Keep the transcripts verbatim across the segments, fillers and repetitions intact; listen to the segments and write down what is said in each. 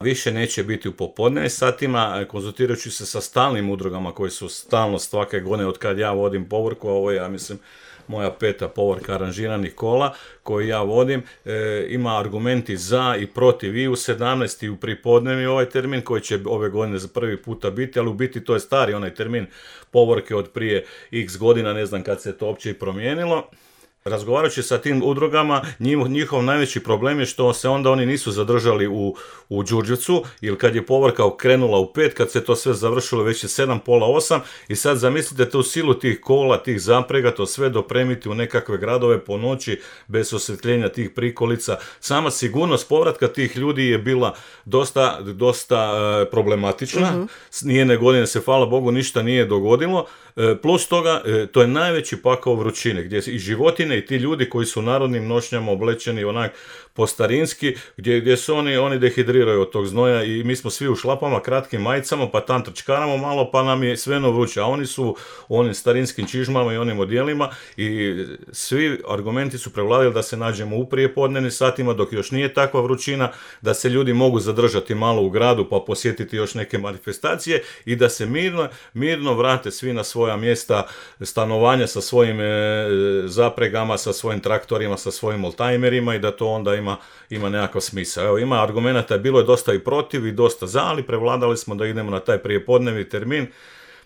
Više neće biti u popodnevnim satima, konzultirajući se sa stalnim udrugama koji su stalno svake godine od kad ja vodim povorku, a ovo je, ja mislim, moja peta povorka aranžiranih kola koju ja vodim, e, ima argumenti za i protiv i u sedamnaest i u pripodnevni ovaj termin koji će ove godine za prvi puta biti, ali u biti to je stari onaj termin povorke od prije x godina, ne znam kad se to uopće i promijenilo. Razgovarajući sa tim udrugama, njihov najveći problem je što se onda oni nisu zadržali u, u Đurđevcu, ili kad je povorka krenula u pet, kad se to sve završilo već je sedam, pola osam, i sad zamislite tu silu tih kola, tih zaprega, to sve dopremiti u nekakve gradove po noći, bez osvjetljenja tih prikolica. Sama sigurnost povratka tih ljudi je bila dosta, dosta uh, problematična. Mm-hmm. Nijedne godine se, hvala Bogu, ništa nije dogodilo. Plus toga, to je najveći pakao vrućine, gdje i životine i ti ljudi koji su u narodnim nošnjama oblečeni onak postarinski, gdje, gdje su oni, oni dehidriraju od tog znoja i mi smo svi u šlapama, kratkim majicama, pa tam trčkaramo malo, pa nam je sveno vruće, a oni su u onim starinskim čižmama i onim odjelima i svi argumenti su prevladili da se nađemo u prijepodnevnim satima, dok još nije takva vrućina, da se ljudi mogu zadržati malo u gradu pa posjetiti još neke manifestacije i da se mirno, mirno vrate svi na svoja mjesta stanovanja sa svojim e, zapregama, sa svojim traktorima, sa svojim oldtimerima i da to onda ima, ima nekakav smisao. Evo, ima argumenata, bilo je dosta i protiv i dosta za, ali prevladali smo da idemo na taj prijepodnevni termin,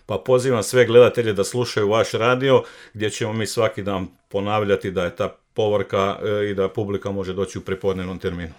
pa pozivam sve gledatelje da slušaju vaš radio, gdje ćemo mi svaki dan ponavljati da je ta povorka e, i da publika može doći u prijepodnevnom terminu.